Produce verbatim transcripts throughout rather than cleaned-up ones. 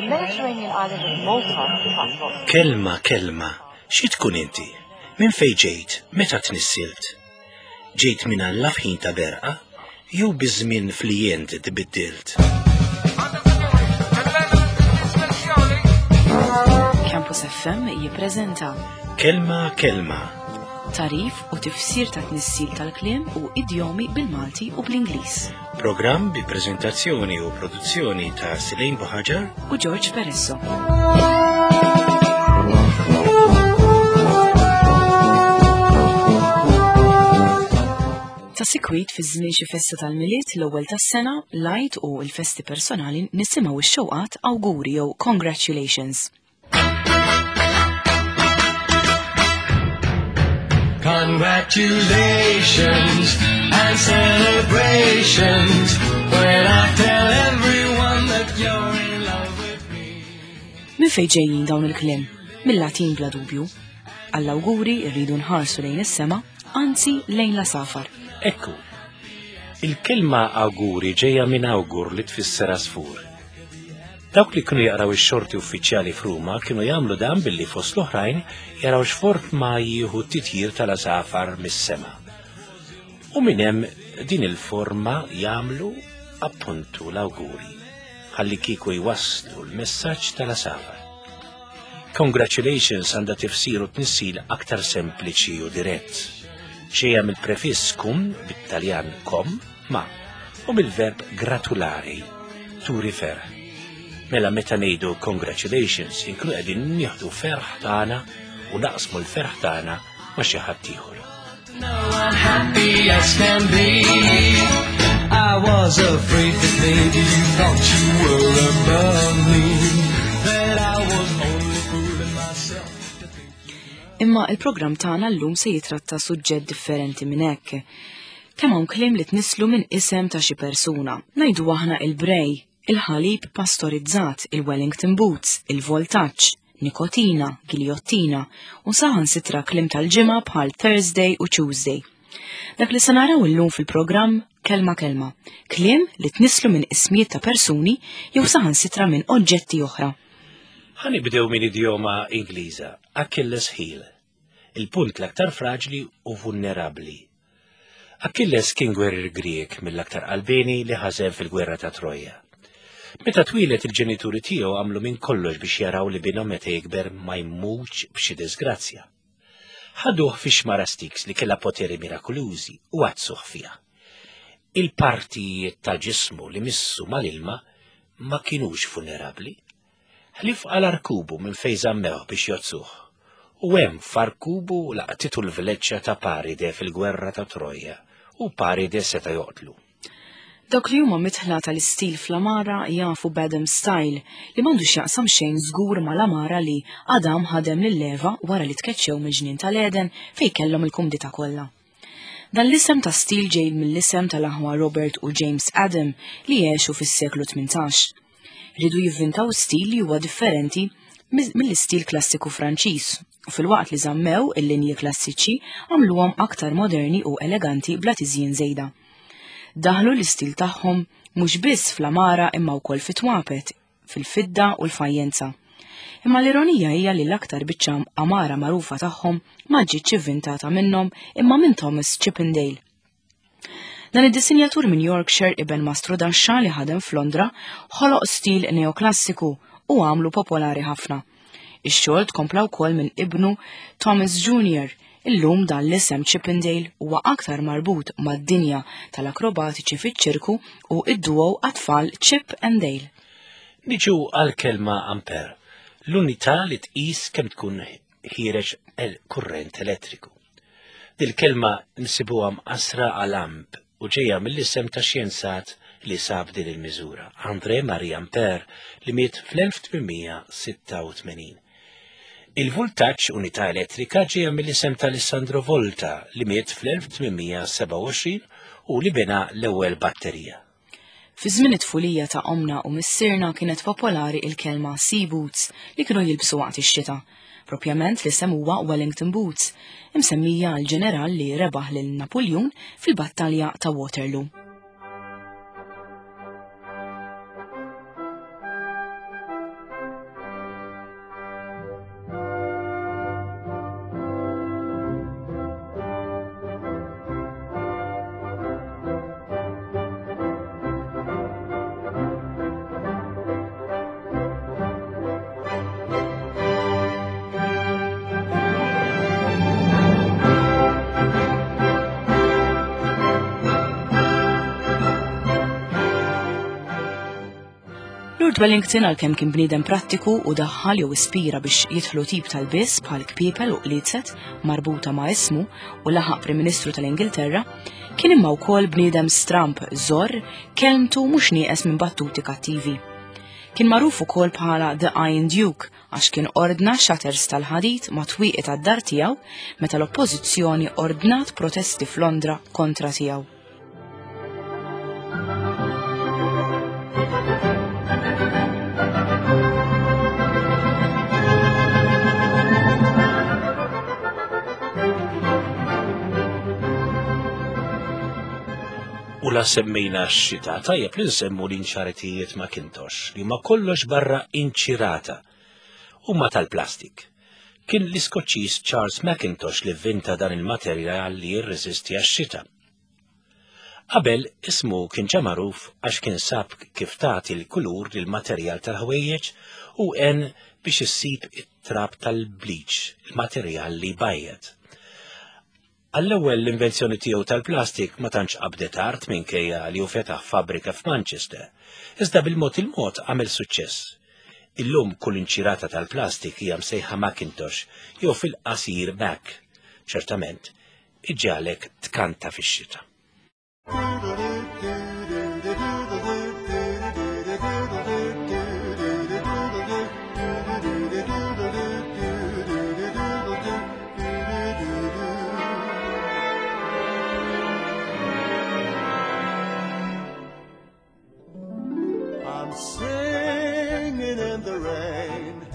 Mediterranean island of Malta attracts lots Kelma, kelma, xi tkun inti? Minn fejn ġejt? Meta tnissilt? Ġejt minn Alla f'ħin ta' berqa? Jew biż-żmien flijent tbiddilt? Campus F M jippreżenta Kelma, kelma, tagħrif u tifsir ta' tnissil tal-kliem u idjomi bil-Malti u bl-Ingliż. Programm bi preżentazzjoni u produzzjoni ta' Silejn Buħaġar u George Peresso. Ta' sikwit fi żmien xi festa tal-Milied, l-ewwel tas-sena, l-Għid u l-festi personali nisimgħu x-xewqat awguri jew congratulations. Congratulations and celebrations when I tell everyone that you're in love with me. Min fejn ġejjin dawn il-kliem? Mill-Latin bla dubju. Għall-awguri rridu nħarsu lejn is-sema, anzi lejn l-għasafar. Ekku, il-kelma awguri ġejja minn awgur li tfisser għasfur. Dawk li kienu jaqraw ix-xorti uffiċjali f'Ruma kienu jagħmlu dan billi fost l-oħrajn jaraw x'forma jieħu t-titjir tal-għasafar mis-sema. U minn hemm din il-forma jagħmlu appuntu l-awguri, ħalli kieku jwasslu l-messaġġ tal-għasafar. Congratulations għandha tifsir u tnissil aktar sempliċi u dirett. Ġejja mill-prefiss cum, bit-Taljan com, ma, u mill-verb gratulare, turi ferħ. Mela meta ngħidu congratulations, inkunu qegħdin nieħdu ferħ tagħna u naqsmu l-ferħ tagħna ma' xi ħadd ieħor. No, I'm happy as can be. I was afraid that maybe you thought you were above me. That I was only fooling myself to think. Imma il-programm tagħna llum se jitratta suġġett differenti minn hekk. Kemm hawn kliem li tnisslu minn isem ta' xi persuna. Ngħidu aħna il-brej, il-ħalib pastorizzat, il-Wellington boots, il-voltaġġ, nikotina, giljottina u saħansitra kliem tal-ġimgħa bħal Thursday u Tuesday. Dak li se naraw illum fil-programm Kelma Kelma, kliem li tnisslu minn ismijiet ta' persuni jew saħansitra minn oġġetti oħra. Ħa nibdew minn idjoma Ingliża, Achilles heel, il-punt l-aktar fraġli u vulnerabbli. Achilles kien gwerrier Grieg mill-aktar qalbieni li ħażen fil-gwerra ta' Troja. Meta twieled, il-ġenituri tiegħu għamlu minn kollox biex jaraw li binhom meta jikber ma jmutx b'xi disgrazzja. Ħaduh fi xmara Styx li kellha poteri mirakolużi u għaddsuh fiha. Il-partijiet ta' ġismu li missu mal-ilma ma kienux vulnerabbli. Ħlief għal għarkubu minn fejn żammewh biex jgħoddsuh. U hemm f'għarkubu laqtitu l-vleċċa ta' Paride fil-gwerra ta' Troja u Paride seta' joqtlu. Dawk li huma midħla tal-istil fl-għamara jafu b'Adam Style li m'għandux jaqsam xejn żgur mal-għamara li Adam ħadem lil Eva wara li tkeċċew mill-ġnien tal-Eden fejn kellhom il-kumdità kollha. Dan l-isem ta' stil ġej mill-isem tal-aħwa Robert u James Adam li għexu fis-seklu tmintax. Riedu jivvintaw stil li huwa differenti mill-istil klassiku Franċiż u filwaqt li żammew il-linji klassiċi għamluhom aktar moderni u eleganti bla tiżjin żejda. Daħlu l-istil tagħhom mhux biss fl-għamara imma wkoll fit-twapet, fil-fidda u l-fajjenza. Imma l-ironija hija li l-aktar biċċa għamara magħrufa tagħhom ma ġietx ivvintata minnhom imma minn Thomas Chippendale. Dan id-disinjatur minn Yorkshire, iben mastru daxxa li ħadem f'Londra, ħoloq stil neoklassiku u għamlu popolari ħafna. Ix-xogħol tkompla wkoll minn ibnu Thomas Junior Illum dan l-isem Chippendale huwa aktar marbut mad-dinja tal-akrobatiċi fiċ-ċirku u id-duo għat-tfal Chip and Dale. Niġu għal-kelma ampere, l-unità li tqis kemm tkun ħiereġ kurrent elettriku. Dil-kelma nsibuha mqassra għal amp u ġejja mill-isem ta' xjenzat li sab din il-miżura, André Marie Ampère, li miet fl-elf tmien mija sitta u tmenin. Il-voltaġġ, unità elettrika, ġejja mill-isem ta' Alessandro Volta li miet fl-elf tmien mija sebgħa u għoxrin u li bena l-ewwel batterija. Fi żmien it-tfulija ta' omna u missierna kienet popolari il-kelma sea boots li kienu jilbsu waqt ix-xita. Propjament l-isem huwa Wellington Boots, imsemmija għal ġeneral li rebaħ lil Napoleon fil-battalja ta' Waterloo. Lord Wellington, għalkemm kien bniedem prattiku u daħħal jew ispira biex jidħlu tip tal-biss bħal kpiepel u qliezet marbuta ma' ismu u laħaq Prim Ministru tal-Ingilterra, kien imma wkoll bniedem stramp, żorr, kelmtu mhux nieqes minn battuti kattivi. Kien magħruf ukoll bħala The Iron Duke għax kien ordna shutters tal-ħadid ma' twieqi tad-dar tiegħu meta l-oppożizzjoni ordnat protesti f'Londra kontra tiegħu. U la semmejna x-xita, tajjeb li nsemmu l-inċaritijiet Macintosh li ma kollox barra inċirata huma tal-plastik. Kien l-Iskoċċiż Charles Macintosh li vvinta dan il-materjal li jirreżisti għax-xita. Qabel ismu kien ġa magħruf għax kien sab kif tagħti l-kulur lil materjal tal-ħwejjeġ u għen biex issib it-trab tal-bleach, il-materjal li bajjed. Għall-ewwel l-invenzjoni tiegħu tal-plastik ma tantx qabdet art minkejja li hu fetaħ fabbrika f'Manchester, iżda bil-mod il-mod għamel suċċess. Illum kull inċirata tal-plastik hija msejħa Macintosh jew fil-qasir Mac. Ċertament, iġġagħlek tkanta fix-xita. I'm singing in the rain,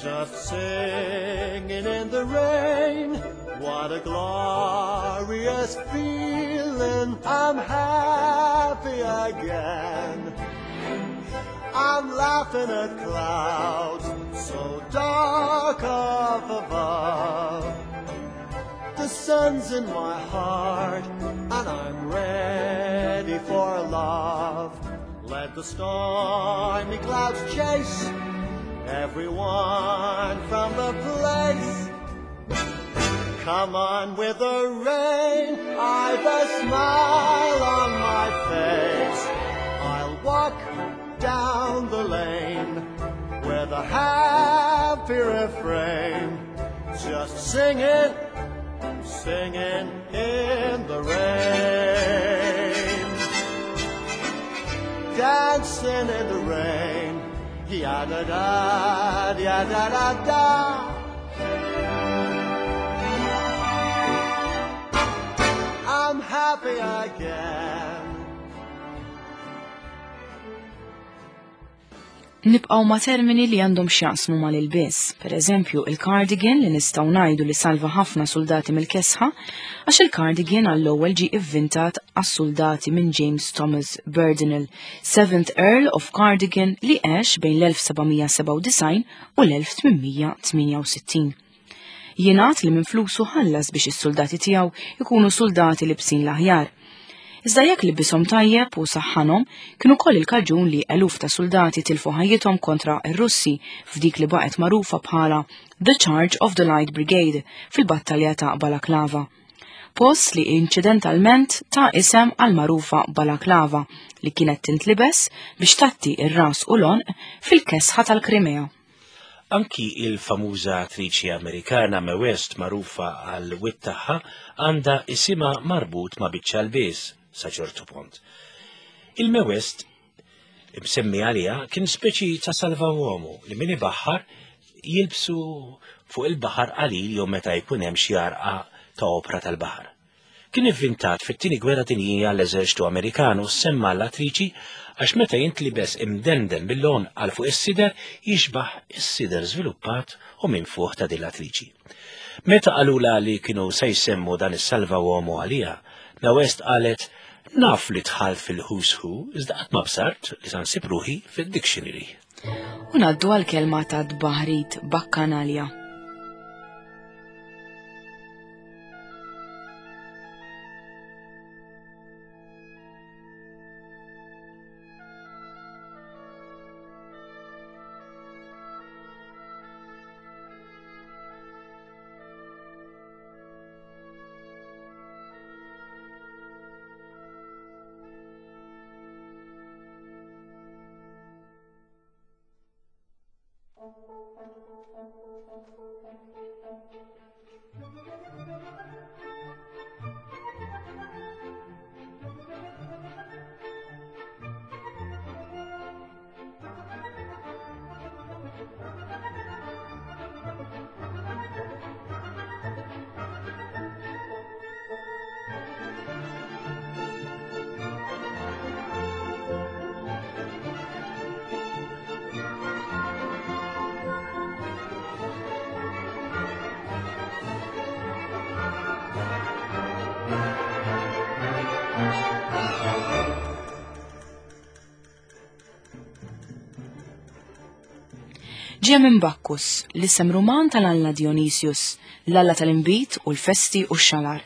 just singing in the rain. What a glorious feeling, I'm happy again. I'm laughing at clouds so dark up above. The sun's in my heart and I'm ready for love. Let the stormy clouds chase everyone from the place. Come on with the rain, I've a smile on my face. I'll walk down the lane with a happy refrain, just singing, singing in the rain. Dancing in the rain, ya da da, ya da da da. I'm happy again. Nibqgħu ma' termini li għandhom x'jaqsmu mal-ilbies. Per eżempju, il-cardigan li nistgħu ngħidu li salva ħafna soldati mill-kesħa, għax il-cardigan għall-ewwel ġie ivvintat għas-soldati minn James Thomas Brudenell, seventh Earl of Cardigan, li għex bejn l-elf seba' sebgħa u disgħin u l-elf tmien tmienja u sittin. Jingħad li minn flusu ħallas biex is-soldati tiegħu ikunu soldati libsin l-aħjar. Iżda jekk libishom tajjeb u saħħanhom, kienu koll il-kaġun li eluf ta' soldati tilfu ħajjithom kontra r-Russi f'dik li baqgħet magħrufa bħala The Charge of the Light Brigade fil-battalja ta' Balaklava. Post li inċidentalment ta' isem għal magħrufa Balaklava li kienet tintlibes biex tatti ir-ras u l-għonq fil-kesħa tal-Krimea. Anki il-famuża attriċi Amerikana Mae West, magħrufa għal wit tagħha, għandha isimha marbut ma' biċċa l-bies sa ċertu punt. Il-Mae West imsemmi għalija kien speċi ta' salva uomo li min ibaħħar jilbsu fuq il-baħar qalil jew meta jkun hemm xi għarqa ta' opra tal-baħar. Kien ivvintat fit-tieni gwerra dinjija l-eżerċtu Amerikan u semma l-attriċi għax meta jintlibes imdenden bil-lon għal fuq is-sider jixbaħ is-sider żviluppat u minn fuq ta' din l-attriċi. Meta qalula li kienu se jsemmu dan is-salva uomo għalija, Mae West qalet naf li dħalt fil-who's who, iżda qatt ma bsart li sa nsib ruħi fid-dictionary. U ngħaddu għall-kelma ta' tbaħrid bakkanalja. Ġie minn Bacchus, l-isem Ruman tal-alla Dionysius, l-alla tal-inbid u l-festi u x-xalar.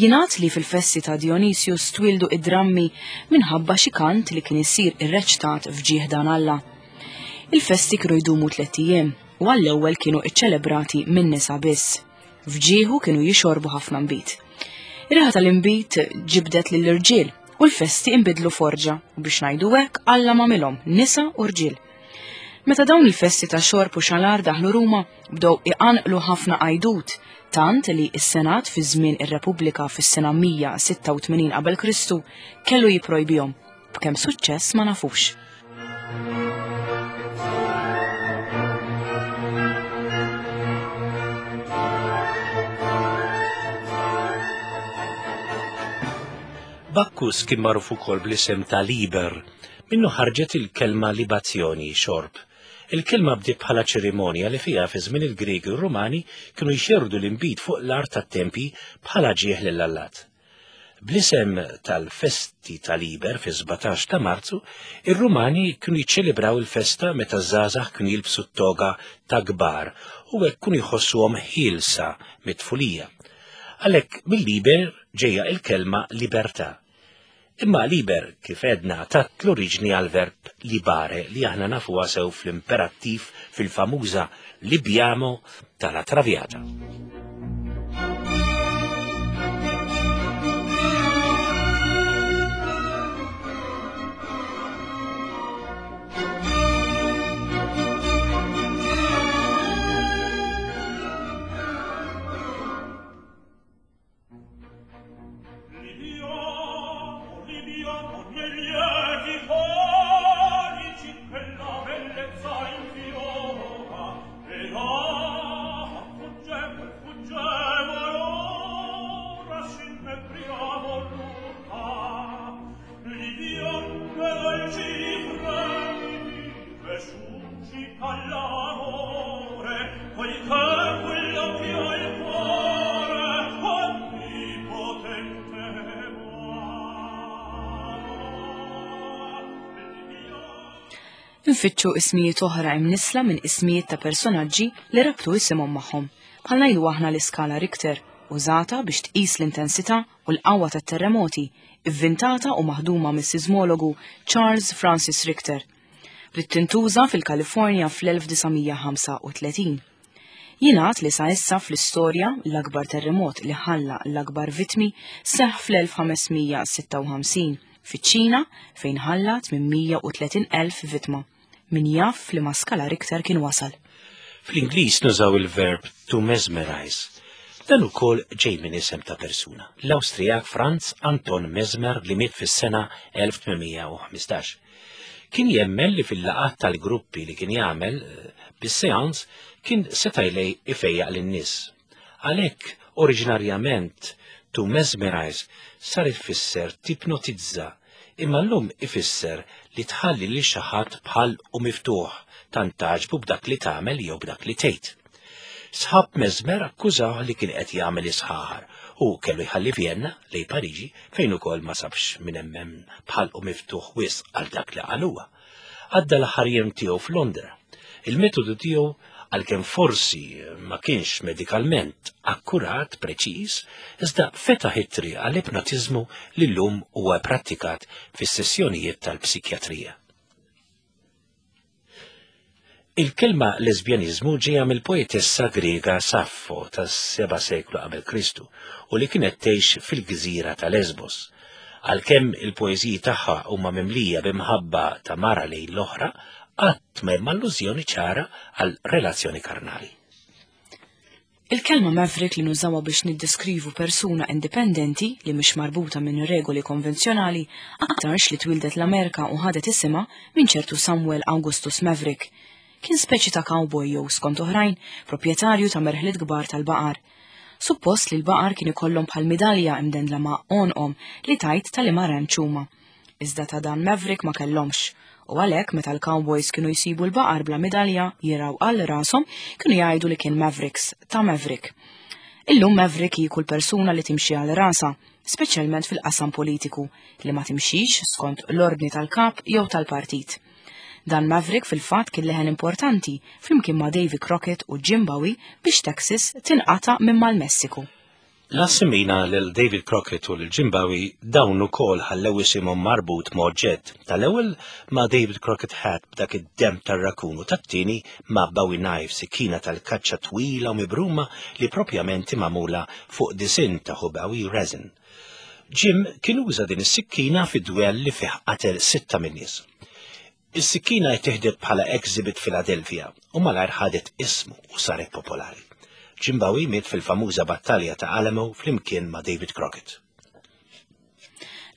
Jingħad li fil-festi ta' Dionysius twildu id-drammi minħabba xi kant li kien isir irreċtat f'ġieħ dan alla. Il-festi kienu jdumu tliet ijiem u għall-ewwel kienu iċċelebrati minn nisa biss. F'ġieħu kienu jixorbu ħafna nbid. Ir-riħa tal-inbid ġibdet lill-irġiel u l-festi inbidlu forġa u biex ngħidu hekk Alla m'għamilhom nisa u rġiel. Meta dawn il-festi ta' xorb u xalar daħlu Ruma, bdew iqanqlu ħafna għajdut, tant li s-Senat fi żmien ir-Repubblika fis-sena mija sitta u tmenin qabel Kristu kellu jipprojbihom, b'kemm suċċess ma nafux. Bacchus kien magħruf ukoll bl-isem ta' Liber, minnu ħarġet il-kelma libazzjoni, xorb. Il-kelma bdiet bħala ċerimonja li fiha fi żmien il-Griegi u r-Rumani kienu jxerrdu l-inbid fuq l-art tat-tempji bħala ġieħ lill-allat. Bl-isem tal-festi ta' Liber fi sbatax ta' Marzu, ir-Rumani kienu jiċċelebraw il-festa meta ż-żgħażagħ kienu jilbsu t-toga ta' kbar u hekk kienu jħossuhom ħielsa mit-tfulija. Għalhekk mill-Liber ġejja il-kelma libertà. Imma liber, kif edna, tat l-oriġni għal-verb libare li aħna nafuha sew fl-imperattiv fil-famuża Libiamo tal-La Traviata. Nfittxu ismijiet oħra imnisla minn ismijiet ta' personaġġi li rabtu isimhom magħhom. Bħal ngħidu aħna l-iskala Richter, użata biex tqis l-intensità u l-qawwa tat-terremoti, ivvintata u maħduma mis-sismologu Charles Francis Richter. Bdiet tintuża fil-Kalifornja fl-elf disa' mija ħamsa u tletin. Jingħad li sa issa fl-istorja l-akbar terremot li ħalla l-akbar vittmi seħħ fl-elf ħames mija sitta u ħamsin fiċ-Ċina fejn ħalla tmien mija u tletin elf vittma. Min jaf li ma skala Richter kien wasal. Fl-Ingliż nużaw il-verb to mesmerize. Dan ukoll ġej minn isem ta' persuna. L-Awstrijak Franz Anton Mesmer li miet fis-sena elf tmien mija u ħmistax. Kien jemmen li fil-laqgħat tal-gruppi li kien jagħmel, eh, bis-seans kien seta' jlej ifejjaq lin-nies. Għalhekk oriġinarjament to mesmerize sar ifisser tipnotizza, imma llum ifisser li tħalli lil xi ħadd bħal u miftuħ tant tagħġbu b'dak li tagħmel jew b'dak li tgħid. Sħab Mesmer akkużaw li kien qed jagħmel isħaħar u kellu jħalli Vienna lejn Pariġi fejn ukoll ma sabx minn hemm bħal u miftuħ wisq għal dak li qal huwa. Għadda l-aħħar jiem tiegħu f'Londra. Il-metodu tiegħu għalkemm forsi ma kienx medikalment akkurat preċiż, iżda fetaħ it-triq għall-ipnotiżmu li llum huwa pprattikat fis-sessjonijiet tal-psikjatrija. Il-kelma lesbjaniżmu ġejja mill-poetessa Griega Saffo tas-seba' seklu qabel Kristu u li kienet tgħix fil-gżira ta' Lesbos. Għalkemm il-poeżiji tagħha huma mimlija b'imħabba ta' mara lejn l-oħra, qatt ma hemm allużjoni ċara għal relazzjoni karnali. Il-kelma Maverick li nużawha biex niddeskrivu persuna indipendenti li mhix marbuta minn regoli konvenzjonali aktarx li twildet l-Amerika u ħadet isimha minn ċertu Samuel Augustus Maverick. Kien speċi ta' cowboy jew skont oħrajn, proprjetarju ta' merħliet kbar tal-baqar. Suppost li l-baqar kien ikollhom bħal midalja imdendla ma' għonqhom li tajt tal-imma ranch huma. Iżda ta' dan Maverick ma kellhomx. U għalhekk meta l-cowboys kienu jsibu l-baqar bla midalja jiraw għal rashom kienu jgħidu li kien Mavericks ta' Maverick. Illum Maverick hi kull persuna li timxi għal rasa, speċjalment fil-qasam politiku, li ma timxix skont l-ordni tal-kap jew tal-partit. Dan Maverick fil-fatt kien leħen importanti flimkien ma' Davy Crockett u Jim Bowie biex Texas tinqata' minn mal-Messiku. La semmejna lil David Crockett u lil Jim Bowie, dawn ukoll ħallew isimhom marbut ma' oġġett. Tal-ewwel ma' David Crockett hat b'dak id-dem tar-rakun u tat-tieni ma' Bowie knife, sikkina tal-kaċċa twila u mibruma li propjament magħmula fuq disinn ta' Bowie resin. Jim kien uża din is-sikkina fi dwell li fih qatel sitta min-nies. Is-sikkina ttieħdet bħala exhibit Philadelphia u malajr ħadet ismu u saret popolari. Jim Bowie miet fil-famuża battalja ta' Alamo flimkien ma' David Crockett.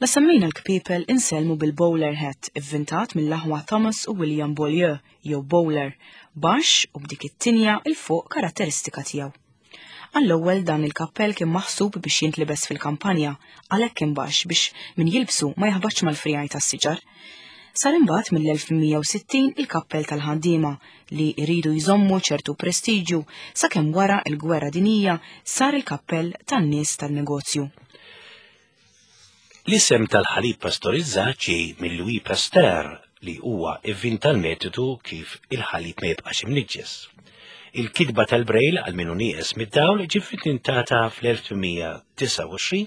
La semmejna l-kpipel insellmu bil-bowler hat, ivvintat mill-aħwa Thomas u William Beaulieu, jew bowler, baxx u b'dik it-tinja 'il fuq karatteristika tiegħu. Għall-ewwel dan il-kappell kien maħsub biex jintlibes fil-kampanja, għalhekk kien baxx biex min jilbsu ma jaħbatx mal-frijaj tas-siġar. Sar imbagħad mill-elf mija u sittin il-kappell tal-ħaddiema li jridu jżommu ċertu prestiġju sakemm wara l-gwerra dinjija sar il-kappell tan-nies tan-negozju. L-isem tal-ħalib pastorizzat ġej minn Louis Pasteur li huwa ivvinta l-metodu kif il-ħalib ma jibqax imniġġes. Il-kitba tal-Braille għal minnu nieqes mid-dawl ġiet ivvintata fl-elf tmien mija disgħa u għoxrin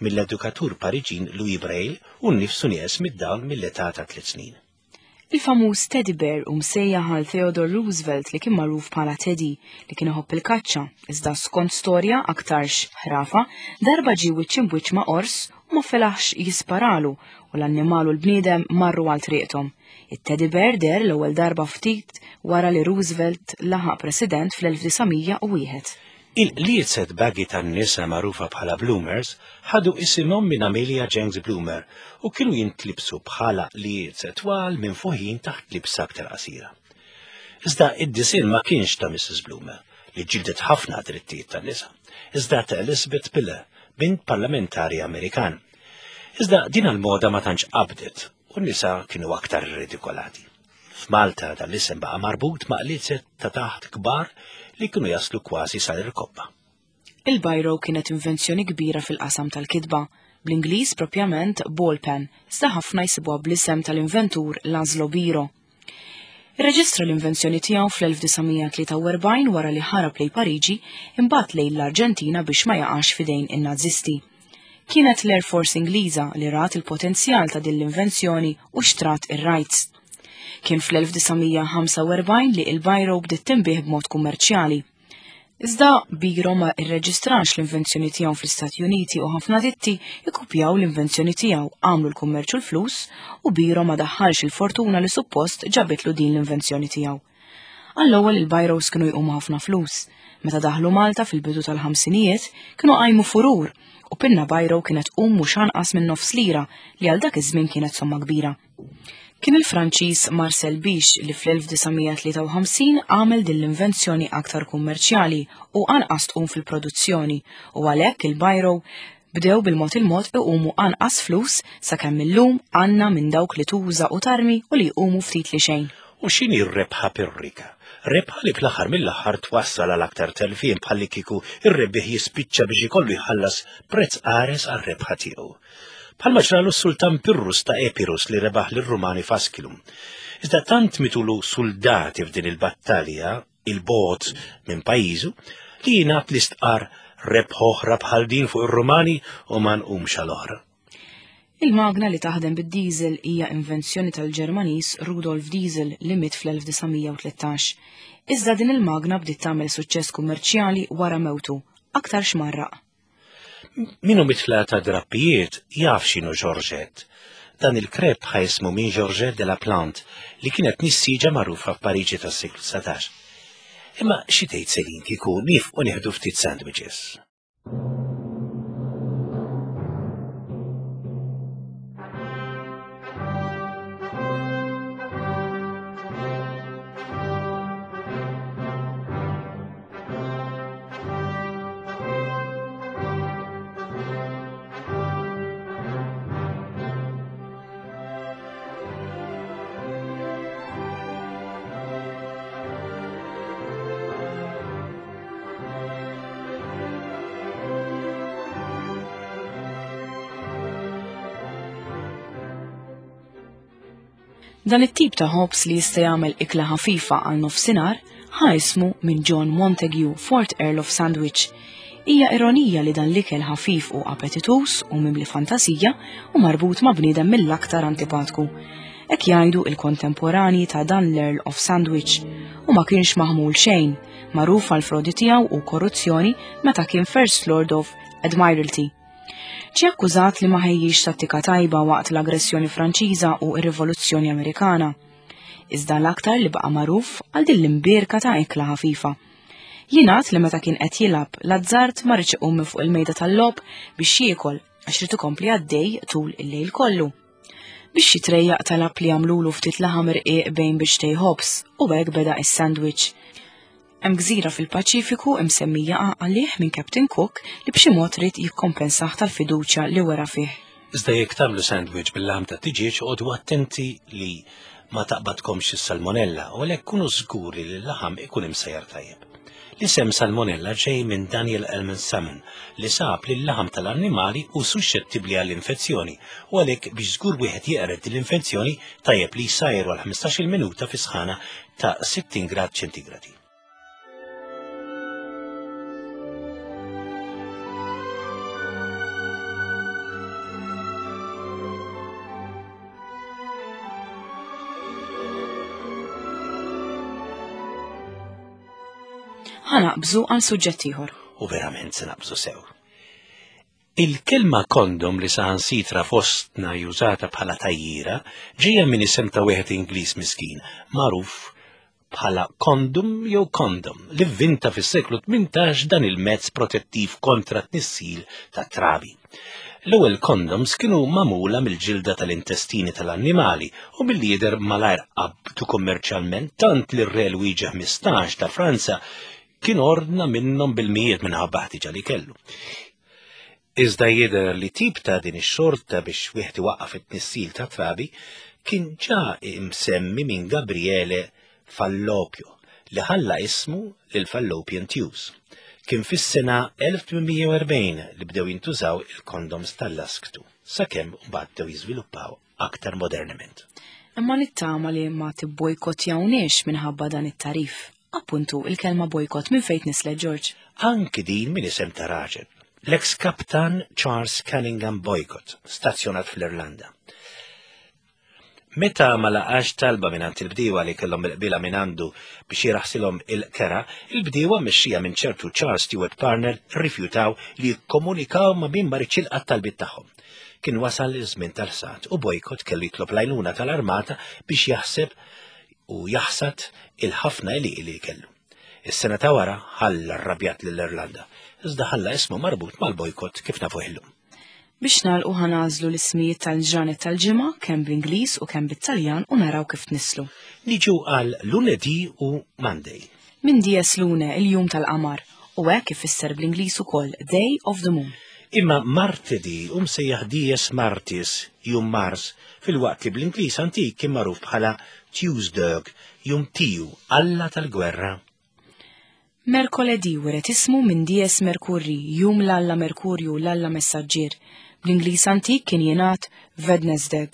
mill-edukatur Pariġin Louis Braille u nnifsu nieqes mid-dawl mill-età ta' tliet snin. Il-famuż Teddy Bear u msejjaħ għal Theodore Roosevelt li kien magħruf bħala Teddy li kien iħobb il-kaċċa, iżda skont storja aktarx ħrafa, darba ġie wiċċ imbwiċċ ma' ors u ma felaħx jisparalu u l-annimal u l-bniedem marru għal triqthom. It-Teddy Bear der l-ewwel darba ftit wara li Roosevelt laħaq president fl-elf disa' mija u wieħed. Il-qliezet baggy tan-nisa magħrufa bħala Bloomers ħadu isimhom minn Amelia Jenks Bloomer u kienu jintlibsu bħala qliezet twal minn fuħin taħt libsa aktar qasira. Iżda id-disinn ma kienx ta' Missus Bloomer li ġildet ħafna drittijiet tan-nisa, iżda ta' Elizabeth Miller, bint parlamentari Amerikan. Iżda din il-moda ma tantx qabdet u n-nisa kienu aktar ridikolati. F'Malta dan l-isem baqa' marbut ma' qliezet ta' taħt kbar li kienu jaslu kważi sal-irkobba. Il-biro kienet invenzjoni kbira fil-qasam tal-kitba, bl-Ingliż propjament ball pen, iżda ħafna jsibuha bl-isem tal-inventur Laszlo Biro. Irreġistra l-invenzjoni tiegħu fl-elf disa' mija tlieta u erbgħin wara li ħarab lejn Pariġi imbagħad lejn l-Arġentina biex ma jaqax f'idejn in-Nazisti. Kienet l-Air Force Ingliża li rat il-potenzjal ta' din l-invenzjoni u xtrat ir-rights. Kien fl-elf disa' mija ħamsa u erbgħin li il-biro bdiet tinbih b'mod kummerċjali. Iżda Biro ma irreġistrax l-invenzjoni tiegħu fl-Istati Uniti u ħafna ditti ikkupjaw l-invenzjoni tiegħu, għamlu l-kummerċ u l-flus u Biro ma daħħalx il-fortuna li suppost ġabitlu din l-invenzjoni tiegħu. Għall-ewwel il-biros kienu jqumu ħafna flus. Meta daħlu Malta fil-bidu tal-ħamsinijiet kienu qajmu furur u pinna biro kienet tqum mhux anqas minn nofs lira li għal dak iż-żmien kienet somma kbira. Kien il-Franċiż Marcel Bich li fl-elf disa' mija tlieta u ħamsin għamel din l-invenzjoni aktar kummerċjali u anqas tqum fil-produzzjoni u għalhekk il-biro bdew bil-mod il-mod iqumu anqas flus sakemm illum għandna minn dawk li tuża u tarmi u li jqumu ftit li xejn. U x'inhi r-rebħa pirrika? Rebħa li fl-aħħar mill-aħħar twassal għal aktar telfien bħalli kieku ir-rebbieħ jispiċċa biex ikollu jħallas prezz qares għar-rebħa tiegħu. Bħalma ġralu s-sultan Pirrus ta' Epirus li rebaħ lir-Rumani f'Asculum. Iżda tant mitulu soldati f'din il-battalja, il-bogħod minn pajjiżu, li jingħad li stqar rebħ oħra bħal din fuq ir-Rumani u ma nqumx għal oħra. Il-magna li taħdem bid-diesel hija invenzjoni tal-Ġermaniż Rudolf Diesel li miet fl-elf disa' mija u tlettax. Iżda din il-magna bdiet tagħmel suċċess kummerċjali wara mewtu, aktar xmarraq. Minu mitla ta' drappijiet jaf x'inhu Georgette. Dan il-krep ħajsmu minn Georgette de la Plante li kienet nissiġa magħrufa f'Pariġi tas-seklu dsatax. Imma xi tgħid Selin kieku nifqu nieħdu ftit sandwiches? Dan it-tip ta' ħobż li jista' jagħmel ikla ħafifa għal nofsinhar ħa ismu minn John Montague, Fourth Earl of Sandwich. Hija ironija li dan l-ikel ħafif u appetituż u mimli fantasija u marbut ma' bniedem mill-aktar antipatku. Hekk jgħidu il-kontemporani ta' dan l-Earl of Sandwich u ma kienx maħmul xejn, magħruf għal frodi tiegħu u korruzzjoni meta kien First Lord of Admiralty. Ġie akkużat li ma ħejjix tattika tajba waqt l-aggressjoni Franċiża u r-Rivoluzzjoni Amerikana. Iżda l-aktar li baqa' magħruf għal din l-imbierka ta' ikla ħafifa. Jingħad li meta kien qed jilgħab l-azzard ma riedx iqum minn fuq il-mejda tal-logħob biex jiekol għax ried ikompli għaddej tul il-lejl kollu. Biex jitrejjaq talab li jagħmlulu ftit laħam irqiq bejn biċċtejn ħobż u hekk beda is-sandwich. Hemm gżira fil-Paċifiku imsemmija għalih minn Captain Cook li b'xi mod ried jikkompensah tal-fiduċja li wera fih. Iżda jekk tagħmlu sandwich bil-laħam ta' tiġieġ oqogħdu attenti li ma taqbadkomx is-salmonella u għalhekk kunu żguri li l-laħam ikun imsejjar tajjeb. L-isem salmonella ġej minn Daniel Elman Salmon li sab li l-laħam tal-annimali hu suxxettibbli għall-infezzjoni u għalhekk biex żgur wieħed jeqred din l-infezzjoni tajjeb li jsajru għal ħmistax-il minuta fi sħana ta' sittin grad ċentigradi. Ħa naqbżu għal suġġett ieħor. U verament se naqbżu sew. Il-kelma kondom li saħansitra fostna jużata bħala tajjira ġejja minn isem ta' wieħed Ingliż miskin, magħruf bħala kondom jew kondom, li vvinta fis-seklu tmintax dan il-mezz protettiv kontra t-tnissil ta' trabi. L-ewwel kondoms kienu magħmula mill-ġilda tal-intestini tal-annimali u milli jidher malajr qabdu kummerċjalment tant li r-re Luigi ħmistax ta' Franza kien ordna minnhom bil-mijiet minħabba ħtiġa li kellu. Iżda jidher li tip ta' din ix-xorta biex wieħed iwaqqaf it-tnissil ta' trabi kien ġa imsemmi minn Gabriele Fallopio li ħalla ismu lil Fallopian Tubes. Kien fis-sena elf tmien mija u erbgħin li bdew jintużaw il-kondoms tal-lasktu, sakemm mbagħad bdew jiżviluppaw aktar modernament. Imma nittama li ma tibbojkottjawniex minħabba dan it-tarif. Appuntu, il-kelma bojkott minn fejn nislet, George? Anki din minn isem ta' raġel. L-ex kaptan Charles Cunningham Boycott, stazzjonat fl-Irlanda. Meta ma laqax talba minn għand il-bdiewa li kellhom il-qbila minn għandu biex jiraħsilhom il-kera, il-bdiewa mexxija minn ċertu Charles Stewart Parnell rrifjutaw li jikkomunikaw ma' min ma ridx jilqa' t-talbiet tagħhom. Kien wasal iż-żmien tal-ħsad u Boycott kellu jitlob l-għajnuna tal-armata biex jaħseb u jaħsad il-ħafna għelieqi li kellu. Is-sena ta' wara ħalla rrabjat lill-Irlanda, iżda ħalla ismu marbut mal-bojkott kif nafuh illum. Biex nagħlqu ħanażlu l-ismijiet tal-ġranet tal-ġimgħa kemm bl-Ingliż u kemm bit-Taljan u naraw kif tnislu. Niġu għal Lunedì u Monday. Minn dies lune il-jum tal-qamar u hekk ifisser bl-Ingliż ukoll Day of the Moon. Imma martedì u msejjaħ dies Martis, jum Mars, fil-waqt li bl-Ingliż antik kien magħruf bħala Tuesday, jum Tiju, Alla tal-gwerra. Merkoledì wiret ismu minn dies Merkurri, jum l-Alla Merkurju, l-Alla Messaġġier. Bl-Ingliż antik kien jingħad Wednesday,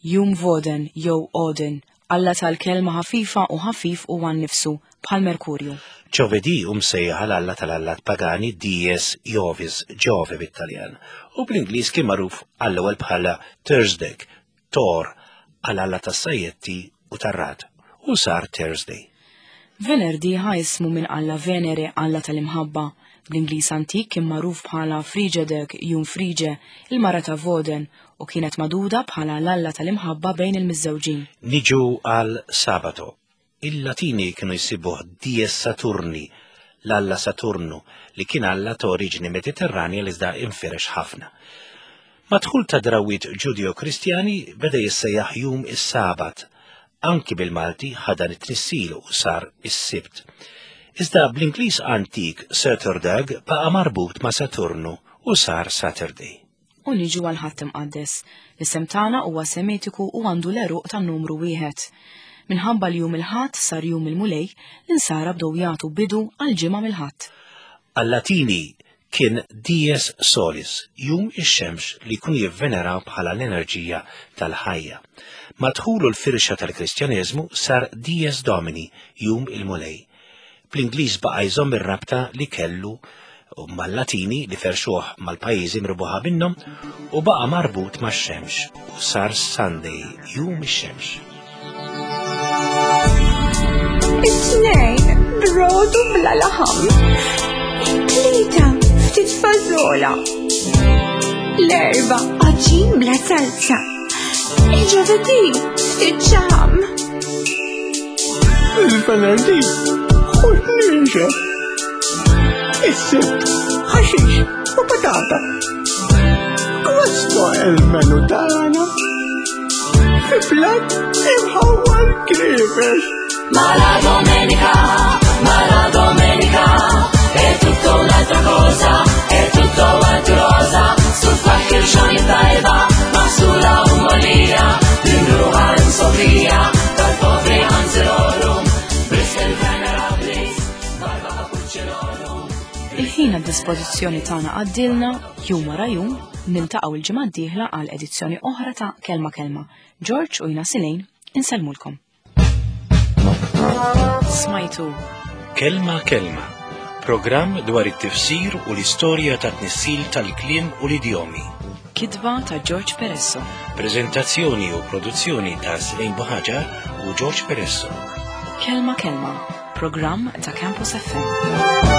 jum Voden jew Odin, Alla tal-kelma ħafifa u ħafif u għan nifsu bħal Merkurju. Ġovedì u msejjaħ l-Alla tal-Allat pagani Dies Jovis, Ġove bit-Taljan, u bl-Ingliż kien magħruf għall-ewwel bħala Thursday, Thor, għal-Alla tas-sajjetti u tar-rad, u sar Thursday. Venerdi ħa ismu minn Alla Venere, Alla tal-imħabba. Bl-Ingliż antik kien magħruf bħala Frigedeg, jum Frige, il-mara ta' Voden, u kienet maduda bħala l-Alla tal-imħabba bejn il-miżżewġin. Niġu għal Sabato. Il-Latini kienu jsibuh Dies Saturni, l-Alla Saturnu, li kien Alla ta' oriġini Mediterranja li iżda infirex ħafna. Madħul ta' drawwiet Ġudeo-Kristjani beda jissejjaħ jum is-Sabat. Anki bil-Malti ħadan it-tnissil u sar is-Sibt. Iżda bl-Ingliż antik Saturdag baqa' marbut ma' Saturnu u sar Saturday. U niġu għal Ħadd Imqaddes. L-isem tagħna huwa semitiku u għandu l-għeruq tan-numru wieħed. Minħabba li jum il-Ħadd sar jum il-Mulej, l-insara bdew jagħtu bidu għal ġimgħa mill-Ħadd. Għal-Latini kien Dies Solis, jum ix-xemx li kun jivveneraw bħala l-enerġija tal-ħajja. Madħulu l-firxa tal-Kristjaneżmu sar Dies Domini, jum il-Mulej. Bl-Ingliż baqa' jżomm ir-rabta li kellu mal-Latini li ferxuh mal-pajjiżi mrubuħa minnhom u baqa' marbut max-xemx u sar Sunday, jum ix-xemx. It-tnejn brodu bla laħam. It-tlieta ftit fażola. L-erba għaġin bla salsa. Il-ġovedì ftit xaħam. Il-venerdì ħut ninxef. Is-sibt ħaxix u patata. Questo è il menu tagħna. Fi platt imħawwar krifex. Ma la domenica, ma la domenica è tutto un'altra cosa, è tutto quanto rosa, su qualche xoni tajba, maħsula u molija, nimruħa Sofija, tal-povri anzilorum, Bristol Venerabilis, barba cappuccinorum. Il-ħin għad dispożizzjoni tagħna għaddilna jum wara jum niltaqgħu il-ġimgħa d-dieħla għal edizzjoni oħra ta' Kelma Kelma. George u jina Silejn insellmulkom. Smajtu Kelma Kelma, programm dwar it-tifsir u l-istorja ta' tnissil tal-kliem u l-idjomi. Kitba ta' George Peresso. Prezentazzjoni u produzzjoni ta' Silejn Buħaġar u George Peresso. Kelma Kelma, programm ta' Campus F M.